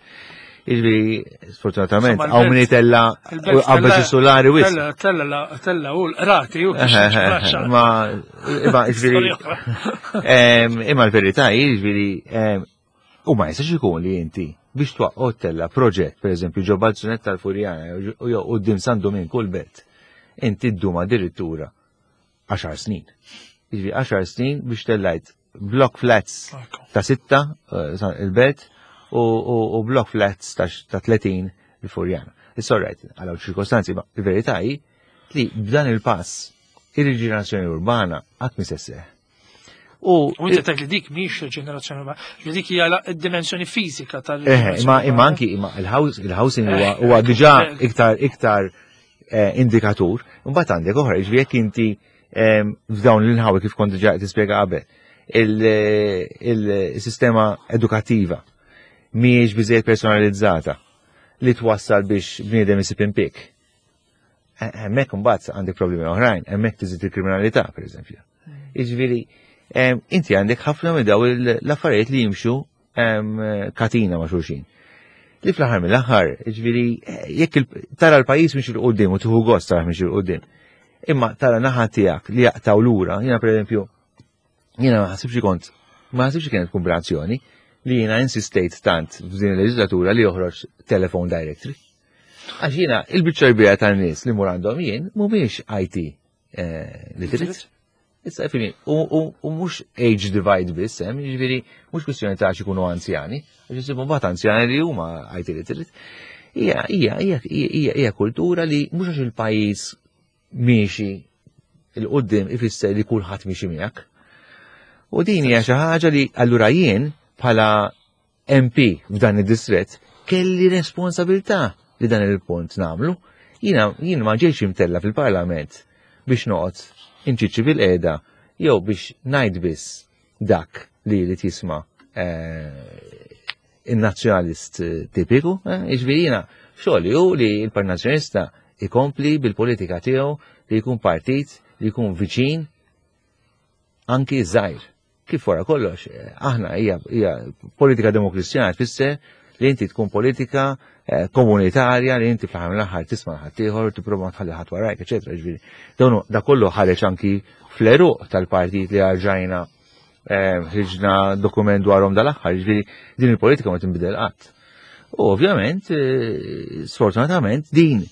Iġviri, sfortunatament, hawn min tella qabel solari wis. Tella, tella, tella u l-rati u Ma, imma iġviri, imma l-verità iġviri, u ma jistax ikun li inti biex twaqqgħu tella proġett, per eżempju, ġo Balzunet tal-Furjana, u jew quddiem San Duminku l-Belt, inti ddum addirittura għaxar snin. Jiġifieri għaxar snin biex tellajt block flats ta' sitta eh, il-Belt u, u, u block flats ta' ta' tletin il-Furjana. It's all right, għalaw ċirkostanzi, ma il-verità hi li b'dan il-pass ir-riġenerazzjoni urbana qatt mi se sseħħ. U U inti tgħid li dik mhix riġenerazzjoni urbana, li dik hija la- id-dimensjoni fiżika tal Eh, imma imma anki imma il-housing huwa huwa diġà iktar iktar eh, indikatur. Imbagħad għandek oħra, jiġifieri jekk inti em, f'dawn l-inħawi kif kont diġà tispjega qabel, il-sistema edukattiva mhijiex biżejjed personalizzata li twassal biex bniedem isib impjieg. Hemmhekk imbagħad għandek problemi oħrajn, hemmhekk tiżid il-kriminalità, pereżempju. Jiġifieri Inti għandek ħafna minn daw l-affarijiet li jimxu katina ma' xulxin. Li fl-aħħar mill-aħħar, ġifieri, jekk tara l-pajjiż miexi 'l quddiem u tieħu gost tara miexi 'l quddiem. Imma tara naħa tiegħek li jaqtaw lura, jiena pereżempju, jiena ma ħasibx kont, ma ħasibx kienet kombinazzjoni li jiena insistejt tant f'din il-leġislatura li joħroġ telephone directory. Għax jiena il-biċċa kbira tan-nies li mur għandhom jien mhumiex I T eh, literate. Issa fini, u mhux age divide biss, hemm, jiġifieri mhux kwistjoni ta' ikunu anzjani, għax isibu mbagħad anzjani li huma I T literate. Hija hija hija hija hija kultura li mhux għax il-pajjiż miexi 'l quddiem ifisser li kulħadd miexi miegħek. U din hija xi ħaġa li allura jien bħala M P f'dan id-distret kelli responsabilità li dan il-punt nagħmlu. Jiena jien ma ġejx imtella fil-Parlament biex noqgħod inċiċi bil-qiegħda jew biex ngħid biss dak li li tisma' eh, il-nazzjonalist tipiku, eh, jiġifieri jiena xogħli hu li l-Partit Nazzjonalista ikompli bil-politika tiegħu li jkun partit li jkun viċin anki żgħir. Kif wara kollox, eh, aħna hija hija politika demokristjana, tfisser li inti tkun politika eh, komunitarja li inti fl-aħħar mill-aħħar tisma' ħaddieħor, tipprova tħalli ħadd warajk, eċetera. Ġifieri, dawn da kollu ħareġ anki fl-għeruq tal-partit li rġajna eh, ħriġna dokument dwarhom dal-aħħar, ġifieri din il-politika ma tinbidel qatt. U ovvjament, eh, sfortunatament, din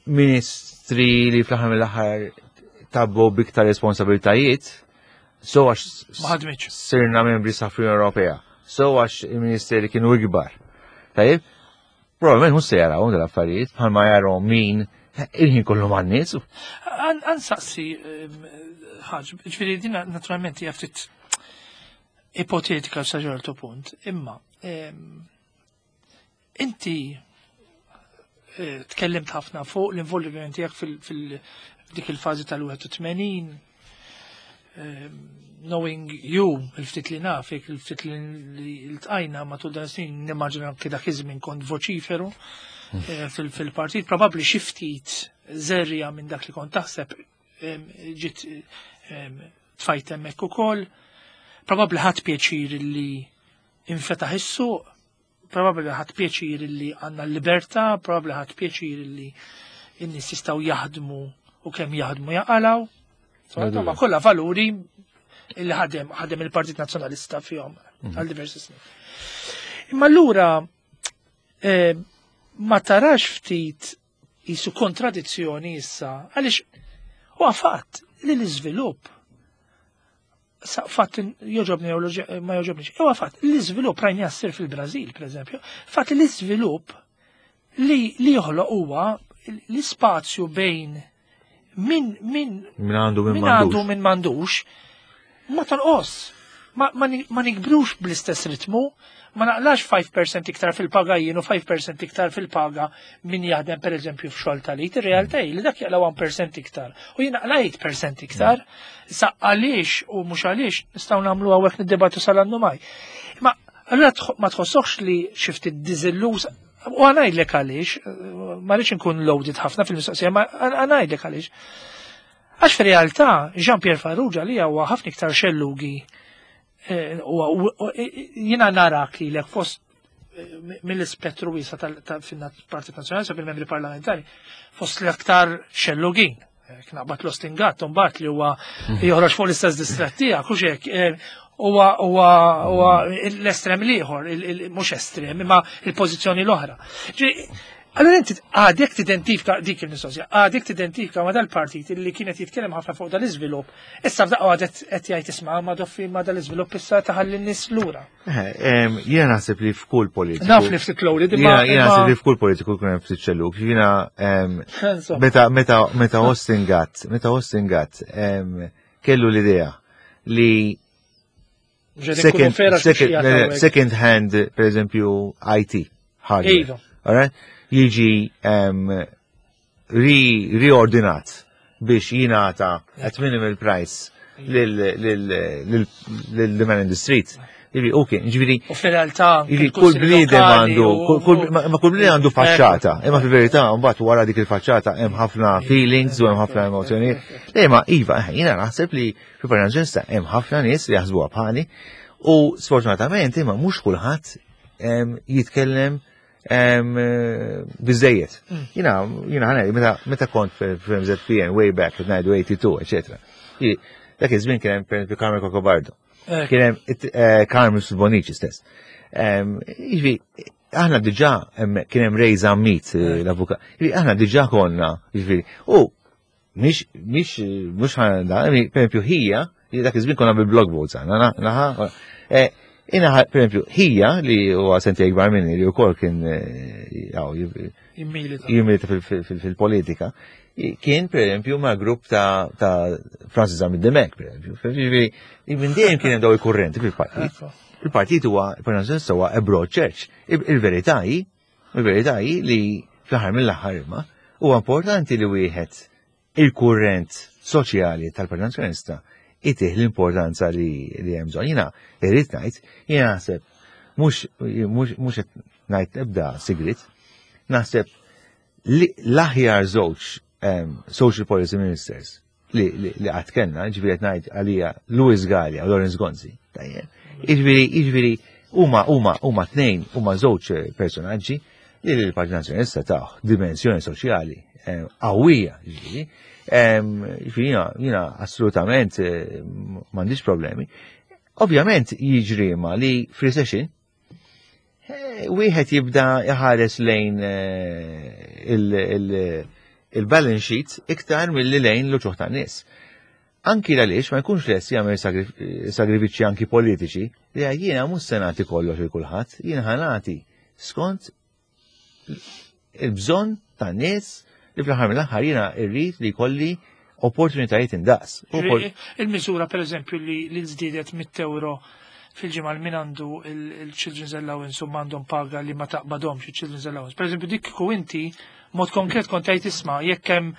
ministri li fl-aħħar mill-aħħar tabbu biktar responsabilitajiet, so għax Ma ħadmitx. sirna membri sa fl-Unjoni Ewropea, so għax il-ministeri kienu ikbar. Tajjeb, probabbilment mhux se jaraw dal-affarijiet bħalma jaraw min il-ħin kollu man-nies. Ħa nsaqsi ħaġa, ġifieri din naturalment hija ftit ipotetika sa ċertu punt, imma em, inti eh, tkellimt ħafna fuq l-involviment tiegħek fil- dik il-fażi tal-wieħed u tmenin, em, knowing you, il-ftit li nafik, il-ftit li ltqajna matul dan snin, nimmaġina anke dak iż-żmien kont voċiferu eh, fil- fil-partit, probabbli xi ftit żerriegħa minn dak li kont taħseb em, ġiet em, tfajt hemmhekk ukoll. Probabbli ħadt pjaċir li infetaħ is-suq, probabbli ħadt pjaċir li għandna l-libertà, probabbli ħadt pjaċir li n-nies jistgħu jaħdmu u kemm jaħdmu jaqalaw. Insomma, kollha valuri illi ħadem ħadem il-Partit Nazzjonalista fihom għal diversi snin. Imma allura eh, ma tarax ftit jisu kontradizzjoni issa, għaliex huwa fatt li l-iżvilupp sa fatt joġobni jew ma joġobniex, huwa fatt l-iżvilupp rajna jassir fil-Brażil, per eżempju, fatt li l-iżvilupp li li joħloq huwa l-ispazju bejn min min Min għandu, min min għandu, m'għandux. min m'għandux ma tonqos. Ma, ma, ni- ma nikbrux bl-istess ritmu, ma naqlax ħamsa fil-mija iktar fil-paga jien u ħamsa fil-mija iktar fil-paga min jaħdem per eżempju f'xogħol tal-id, ir-realtà hi li dak jaqla wieħed fil-mija iktar u jien naqla tmienja fil-mija iktar. Sa għaliex u mhux għaliex nistgħu nagħmlu hawnhekk niddebattu sal-annu maj. Ma allura tħo- ma tħossokx li xi ftit diżilluż? U ħa ngħidlek għaliex, ma rridx nkun loaded ħafna fil-mistoqsija, ma ħa ngħidlek għaliex. Għax fir-realtà Jean-Pierre Farrugia li huwa ħafna iktar xellugi eh, u u- jiena narak li lek fost eh, mill-ispettru wiesa tal-Partit Nazzjonali fil-membri parlamentari fost l-aktar xellugin. Knaqbat l-Ostingat, mbagħad li huwa joħroġ fuq l-istess distret tiegħek, u hekk, eh, huwa huwa huwa l-estrem l-ieħor, il- il- mhux estrem, imma il-pożizzjoni l-oħra. Ġi, allora inti għadek tidentifika dik il-mistoqsija, għadek tidentifika ma dal-partit li kienet jitkellem ħafna fuq dal-iżvilupp, issa f'daqqa għadet qed jgħid, isma' ma doffi ma dal-iżvilupp issa taħalli n-nies lura. Eh, em, Jiena naħseb li f'kull politiku. Naf li ftit loaded, imma. Jiena jiena naħseb li f'kull politiku jkun hemm ftit xellug. Jiena em, Insomma. meta meta meta Austin Gatt, meta Austin Gatt em, kellu l-idea li second, second, second hand, per eżempju, I T hardware. Iva. Alright? Jiġi um, ri, riordinat biex jingħata at minimal price lil lil lil lil man in the street. Ġifieri, u kien, ġifieri. U fil-realtà. Ġifieri, kull bniedem għandu, ma kull bniedem għandu faċċata. Imma fil-verità, mbagħad wara dik il-faċċata hemm ħafna feelings u hemm ħafna emozzjonijiet. Le, ma iva, jiena naħseb li fil-Partit Nazzjonalista hemm ħafna nies li jaħsbuha bħali u sfortunatament imma mhux kulħadd jitkellem biżejjed. Jiena, jiena ħana, meta kont fil-M Z P N way back, ngħidu eighty-two, eccetera. Dak iż-żmien kien hemm, per esempio, Carmen Cacopardo. Kien hemm eh, Carmen Bonici stess. Jiġifieri, aħna diġà kien hemm Ray Zammit, eh, l-avukat. Aħna diġà konna, jiġifieri, u mhix mhix mhux ħana, per esempio, ħija, dak iż-żmien konna bil-block votes aħna, naħa, eh, Ina, per esempio, ħija li huwa sentejn ikbar minni li wkoll kien jimmilita fil-politika, kien per esempio ma' grupp ta' Francis Zammit Dimech, per esempio. Minn dejjem kien hemm daw il-kurrenti fil-partit. Il-partit huwa, il-Partit huwa a broad church. Il-verità hi, il-verità hi li fl-aħħar mill-aħħar imma huwa importanti li wieħed il-kurrent soċjali tal-Partit Nazzjonalista itih l-importanza li li hemm bżonn. Jiena irrid ngħid, jiena naħseb mhux mhux qed ngħid ebda sigrit, naħseb li l-aħjar żewġ social policy ministers li li qatt kellna, ġifieri qed ngħid għalija Louis Galea u Lawrence Gonzi, tajjeb. Jiġifieri jiġifieri huma huma huma tnejn, huma żewġ personaġġi li l-Partit Nazzjonalista taw dimensjoni soċjali qawwija, ġifieri. Ġifieri jiena assolutament eh, m'għandix problemi. Ovvjament jiġri ma li f'recession eh, wieħed jibda jħares lejn eh, il-balance sheet iktar milli lejn l-uċuħ tan-nies. Anki għaliex ma jkunx lest jagħmel sagrifiċċji anki politiċi li jiena mhux se nagħti kollox il kulħadd, jiena ħa nagħti skont il-bżonn tan-nies li fl-aħħar mill-aħħar jiena rrid li jkolli opportunitajiet indaqs. Il-miżura, per eżempju, li li żdiedet mitt euro fil-ġimgħa min għandu il-Children's Allowance u m'għandhom paga li ma taqbadhomx il-Children's Allowance. Per eżempju, dik kieku inti mod konkret kont tgħid, isma', jekk hemm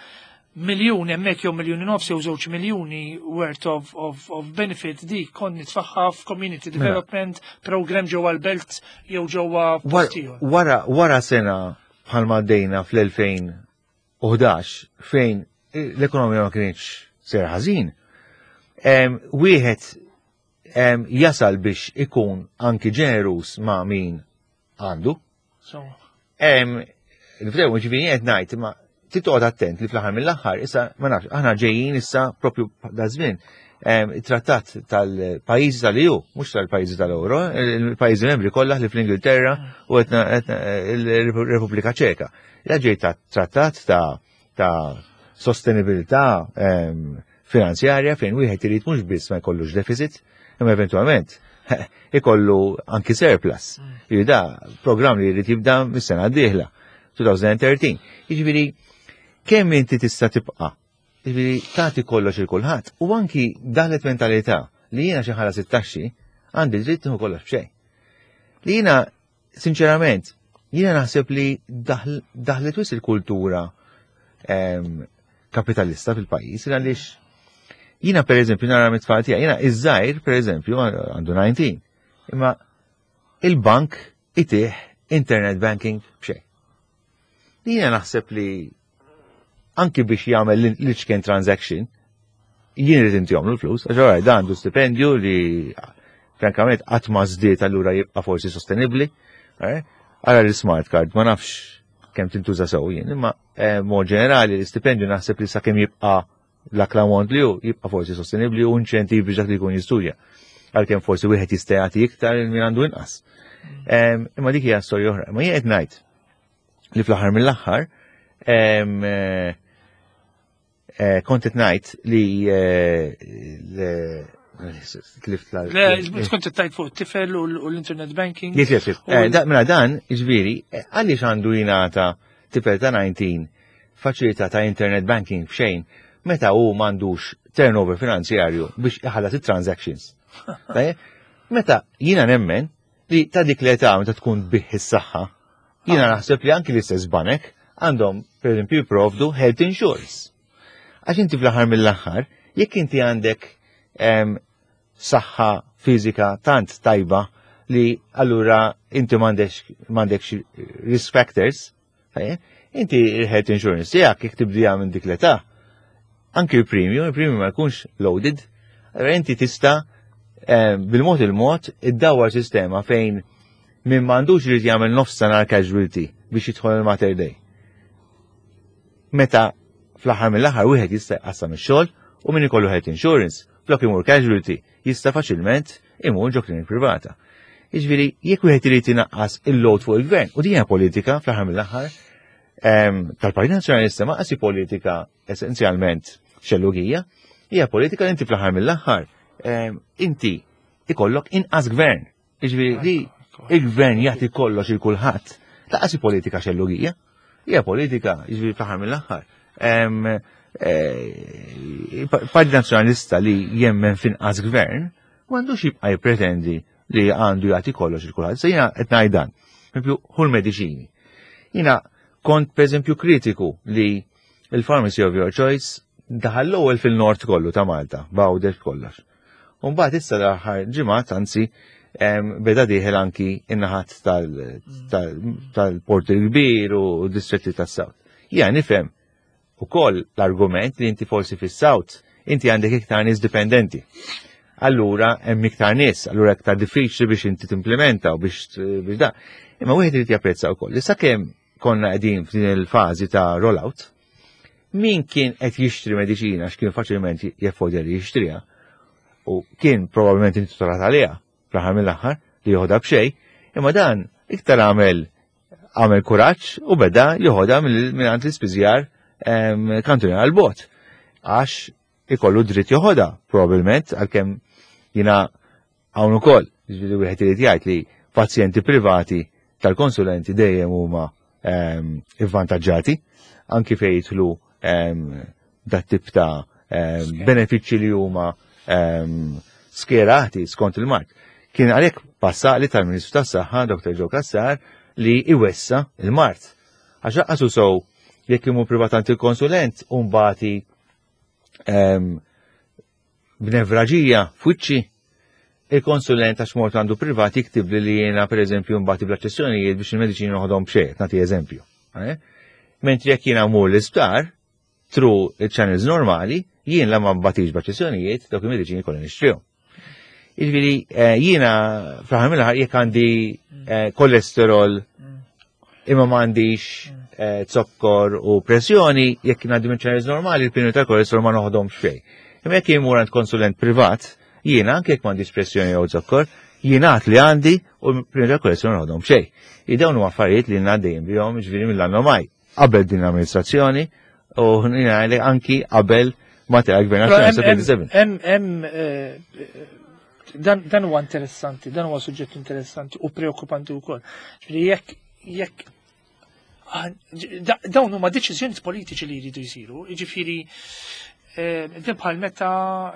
miljun hemmhekk jew miljuni nofs jew żewġ miljuni worth of, of, of benefit, dik kont nitfagħha f'community Mela. development program ġewwa l-belt jew ġewwa Wara, post ieħor. wara, wara sena bħalma għaddejna fl-elfejn u ħdax fejn l-ekonomija ma kienx ser ħażin, em, wieħed em, jasal biex ikun anki ġenerus ma' min għandu. So, Em, Niftew, ġifieri qed ngħid, ma titqgħod attent li fl-aħħar mill-aħħar, issa ma nafx, aħna ġejjin issa propju da żmien em, it-trattat tal-pajjiżi tal-E U, mhux tal-pajjiżi tal-Euro, il-pajjiżi membri kollha li fl-Ingilterra u etna il-Repubblika Ċeka. Ja ġej ta' trattat ta' ta' sostenibilità em, finanzjarja fejn wieħed irid mhux biss ma jkollux deficit, imma eventualment ikollu anki surplus. Jiġifieri da programm li jrid jibda mis-sena d-dieħla, elfejn u tlettax. Jiġifieri kemm inti tista' tibqa' jiġifieri tagħti kollox il kulħadd u anki daħlet mentalità li jiena xi ħala sittax għandi dritt nieħu kollox b'xejn. Li jiena sinċerament jiena naħseb li daħl- daħlet wisq il-kultura em, kapitalista fil-pajjiż, għaliex jiena, per eżempju, nara mit-tfal tiegħi, jiena iż-żgħir, per eżempju, għandu dsatax, imma il-bank itih internet banking b'xejn. Li jiena naħseb li anki biex jagħmel l-iċken transaction, jien irid intihomlu l-flus, għax ora dan għandu stipendju li frankament qatt ma żdied, allura jibqa' forsi sostenibbli. Eh? Ara l-smart card, ma nafx kemm tintuża sew jien, imma eh, mod ġenerali l-istipendju naħseb li sakemm jibqa' l-aklamont li hu jibqa' forsi sostenibbli u inċentiv biex dak li jkun jistudja. Għalkemm forsi wieħed jista' jagħti iktar min għandu inqas. Em, Imma dik hija storja oħra. Ma jien qed ngħid li fl-aħħar mill-aħħar em, eh, eh, kont qed ngħid li eh, le- tlift la- Le, kont tajt fuq it-tifel u l- u l-internet banking. Yes, yes, yes. U Eh, l- da- Mela dan, ġifieri, eh, għaliex għandu jingħata tifel ta' dsatax faċilità ta' internet banking b'xejn meta hu m'għandux turnover finanzjarju biex iħallas it-transactions? Tajjeb? Meta jiena nemmen li ta' dik l-età meta tkun bih is-saħħa, jiena naħseb li anki l-istess banek għandhom, per eżempju, jipprovdu health insurance. Għax inti fl-aħħar mill-aħħar, jekk inti għandek em, saħħa fiżika tant tajba li allura inti m'għandekx risk factors, inti il-health insurance tiegħek jekk tibdija minn dik l-età, anki il-premium, il-premium ma jkunx loaded, allura inti tista' eh, bil-mod il-mod iddawwar sistema fejn min m'għandux irid jagħmel nofs sena casualty biex jidħol il-Mater Dei. Meta fl-aħħar mill-aħħar wieħed jista' jqassam ix-xogħol u min ikollu health insurance, flok imur casualty, jista' faċilment imur ġo klinik privata. Jiġifieri, jekk wieħed irid inaqqas il-load fuq il-gvern, u din hija politika fl-aħħar mill-aħħar tal-Partit Nazzjonalista, ma qasi politika essenzjalment xellugija, hija politika li inti fl-aħħar mill-aħħar inti ikollok inqas gvern. Jiġifieri li il-gvern jagħti kollox il kulħadd. Lanqas politika xellugija, hija politika, jiġifieri fl-aħħar mill-aħħar. Eh, Partit Nazzjonalista li jemmen finqas gvern, m'għandux jibqa' jippretendi li għandu jagħti kollox il kulħadd. Se jiena qed ngħid dan. Pereżempju, hu l-mediċini. Jiena kont pereżempju kritiku li il-Pharmacy of Your Choice daħal l-ewwel fil-nord kollu ta' Malta, Għawdex kollox. Umbagħad issa l-aħħar ġimgħat anzi beda dieħel anki in-naħat tal-Port il-Kbir u distretti tas-South. Jiena nifhem ukoll l-argument li inti forsi fis-South inti għandek iktar nies dipendenti. Allura hemm iktar nies, allura iktar diffiċli biex inti timplementa u biex biex da. Imma wieħed irid japprezza wkoll li sakemm konna qegħdin f'din il-fażi ta' rollout, min kien qed jixtri mediċina x'kien faċilment jeffordja li jixtriha u kien probabbilment intitolat għaliha fl-aħħar mill-aħħar li joħodha b'xejn, imma dan iktar għamel għamel kuraġġ u beda joħodha minn għand l-ispiżjar kantuniera għal-bot. Għax ikollu dritt joħodha, probabbilment, għalkemm jiena hawn ukoll, ġifieri wieħed irid jgħid li pazjenti privati tal-konsulenti dejjem huma ivvantaġġati, anki fejn jidħlu dat tip ta' benefiċċji li huma skjerati skont il-mard. Kien għalhekk passali tal-Ministru tas-Saħħa, Doktor Joe Cassar, li iwessa il-mard. Għax laqqasu sow jekk imur privatant il-konsulent u mbagħad b'nevraġija f'wiċċi il-konsulent għax mort għandu privat jiktib li li jiena pereżempju mbagħad bl-aċċessjonijiet biex il-mediċini noħodhom b'xejn, nagħti eżempju. Eh? Mentri jekk jiena mur l-isptar, through il-channels normali, jien la ma nbatix b'aċċessjonijiet, dawk il-mediċini kollha nixtrihom. Jiġifieri eh, jiena fl-aħħar mill-aħħar jekk għandi eh, kolesterol imma m'għandix eh, zokkor u pressjoni, jekk ngħaddi minn channels normali, il-pinu ta' kolesterol ma noħodhomx xejn. Imma jekk jien mur għand konsulent privat, jiena anke jekk m'għandix pressjoni jew zokkor, jiena għat li għandi u l-pinu ta' kolesterol noħodhom xejn. Dawn huma affarijiet li għaddejjin bihom ġifieri mill-anno maj. Qabel din l-amministrazzjoni u jiena anki qabel ma tela gvern nazzjonali. Hemm hemm eh, dan dan huwa interessanti, dan huwa suġġett interessanti u preokkupanti wkoll. Ġifieri jekk jekk ah, da- dawn huma deċiżjonijiet politiċi li jridu jsiru, jiġifieri eh, din bħal meta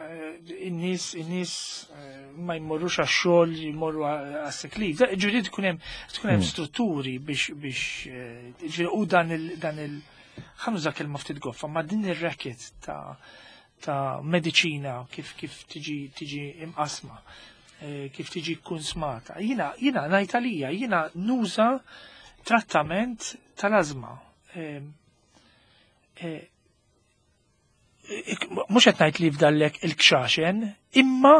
eh, in-nies in-nies eh, ma jmorrux għax-xogħol, jmorru għas-sick leave. Ġifieri tkun hemm tkun hemm strutturi biex biex eh, ġifieri u dan il dan il ħa nuża kelma ftit goffa, ma din ir-racket ta' ta' mediċina kif kif tiġi tiġi imqasma, eh, kif tiġi konsmata. Jiena jiena ngħid għalija, jiena nuża trattament tal-ażma. Eh, eh, ik- Mhux qed ngħid li fdallek il-kxaxen, imma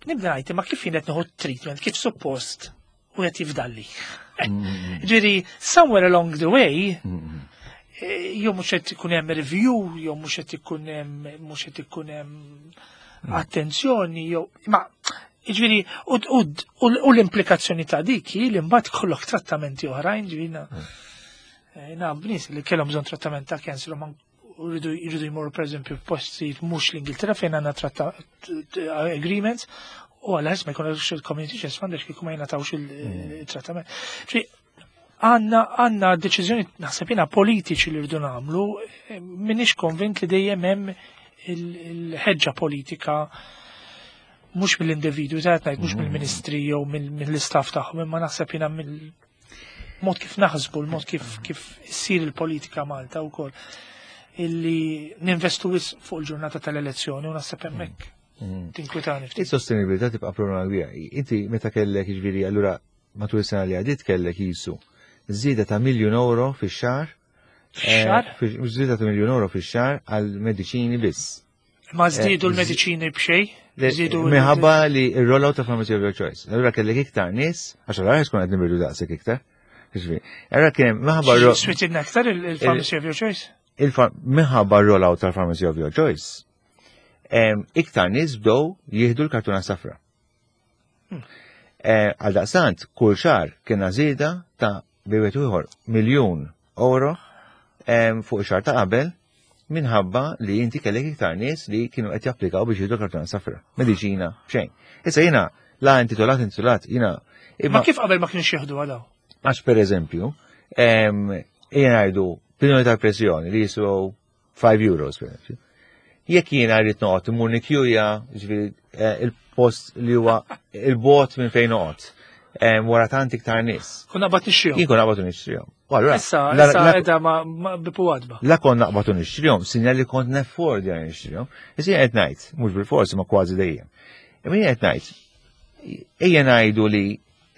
nibda ngħid imma kif jien qed nieħu treatment, kif suppost u qed jifdalli. Ġifieri, somewhere along the way, eh, jew mhux qed ikun hemm review, jew mhux qed ikun hemm mhux qed ikun hemm attenzjoni, jew ma ġifieri u, u, u, u l-implikazzjoni ta' dik hi li mbagħad kollok trattamenti oħrajn, ġifieri na eh, naf b'nies li kellhom bżonn trattament ta' cancer u ma jridu jridu jmorru pereżempju f'postijiet mhux l-Ingilterra fejn għandna tratta agreements u għal ma jkunx il-Community Chest Fund għax kieku ma jingħatawx il-trattament. Ġifieri, għandna għandna deċiżjoni naħseb jiena politiċi li rridu nagħmlu, eh, m'iniex konvint li dejjem hemm il- il-ħeġġa politika mhux mill-individwu, ta' ngħid mhux mill-ministri jew mill- mill-istaff tagħhom, imma naħseb jiena mill-mod kif naħsbu, l-mod kif kif issir il-politika Malta wkoll illi ninvestu wisq fuq il-ġurnata tal-elezzjoni u naħseb hemmhekk Mm. Tinkwitani ftit. Is-sostenibilità tibqa' problema kbira. Inti meta kellek, jiġifieri, allura matul is-sena li għadiet kellek jisu żieda ta' miljun euro fix-xahar. Fix-xahar? Eh, fi- Żieda ta' miljun euro fix-xahar għal mediċini biss. Ma żdiedu eh, l-mediċini b'xejn? Le- Żdiedu l- Minħabba li il-rollout ta' Pharmacy of Your Choice. Allura kellek iktar nies, għax allura tkun qed nibirdu daqshekk iktar. Jiġifieri, allura kien hemm minħabba ro- Switilna aktar il- il-Pharmacy of Your Choice? il-far- minħabba rollout tal-Pharmacy of Your Choice, em, iktar nies bdew jieħdu l-kartuna safra. Eh, Għal daqstant, kull xahar kienna żieda ta' bejwet ieħor miljun euro em, fuq ix-xahar ta' qabel minħabba li inti kellek iktar nies li kienu qed japplikaw biex jieħdu l-kartuna safra. Mediċina, xejn. Issa jiena la intitolat intitolat, jiena Ma kif qabel ma kienx jieħdu għadaw? Għax per eżempju, em, jiena ngħidu pinoli tal-pressjoni li jiswew five euros, per eżempju. Jekk jiena rrid noqgħod immur nikjuja, ġifieri eh, il-post li huwa il-bot minn fejn noqgħod, em, wara tant iktar nies. Kun naqbad nixtrihom. Jien kon naqbad u nixtrihom. U allura, Issa, la- issa la- edha ma ma bipu għadba. La kon naqbad u nixtrihom, sinjal li kont neffordja li nixtrihom. Issa jien qed ngħid, mhux bil-forsi ma kważi dejjem. Imma jien qed ngħid, ejja ngħidu li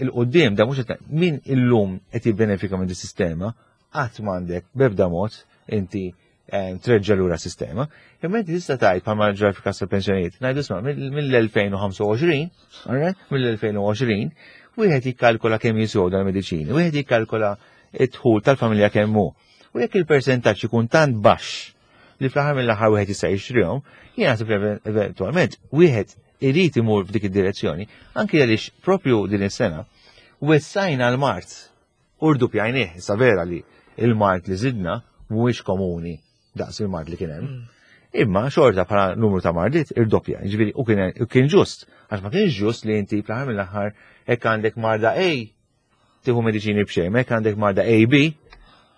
il-qudiem da mhux qed ngħid, min illum qed jibbenefika minn dis-sistema, qatt m'għandek b'ebda mod inti eh, treġġa' lura sistema. Imma inti tista' tgħid bħalma ġara fil-każ tal-pensjonijiet, ngħidu isma' mill-elfejn u ħamsa u għoxrin, alright, mill-elfejn u għoxrin, wieħed jikkalkola kemm jiswew dal-mediċini, wieħed jikkalkola id-dħul tal-familja kemm hu. U jekk il-persentaġġ ikun tant baxx li fl-aħħar mill-aħħar wieħed jista' jixtrihom, jien naħseb li eventwalment wieħed irid imur f'dik id-direzzjoni, anki għaliex propju din is-sena wessajna l-mard u rdupjajnieh, issa vera li il-mard li zidna mhuwiex komuni daqs il-mard li kien hemm. Imma xorta bħala numru ta' mardiet irdoppja, ġifieri u kien u kien ġust, għax ma kienx ġust li inti fl-aħħar mill-aħħar hekk għandek marda A tieħu mediċini b'xejn, hekk għandek marda A B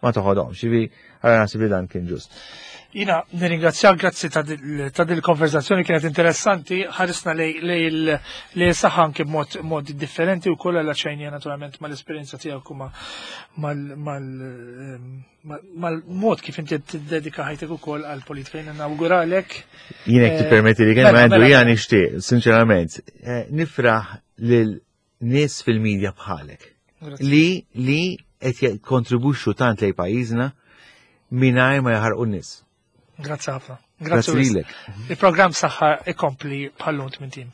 ma toħodhomx, ġifieri għara naħseb li dan kien ġust. Jiena nirringrazzjak, grazzi ta' dil- ta' dil-konverzazzjoni, kienet interessanti, ħarisna lej lej il- lej saħħa anke b'mod mod differenti u kollha laċajnija naturalment mal-esperjenza tiegħek u ma- mal- mal- ehm, mal- mal-mod kif inti tiddedika ħajtek ukoll għall-politika. Jiena nawguralek. Jien jekk Eh, tippermetti li kien mela, għandu mela, jiena mela. nixtieq, sinċerament, eh, nifraħ lil nies fil-medja bħalek Grazzi. li li qed jikkontribwixxu tant lejn pajjiżna mingħajr ma jaħarqu n-nies. Grazzi ħafna. Grazzi wisq. lilek. Il-programm Saħħa ikompli bħallum tmint ijiem.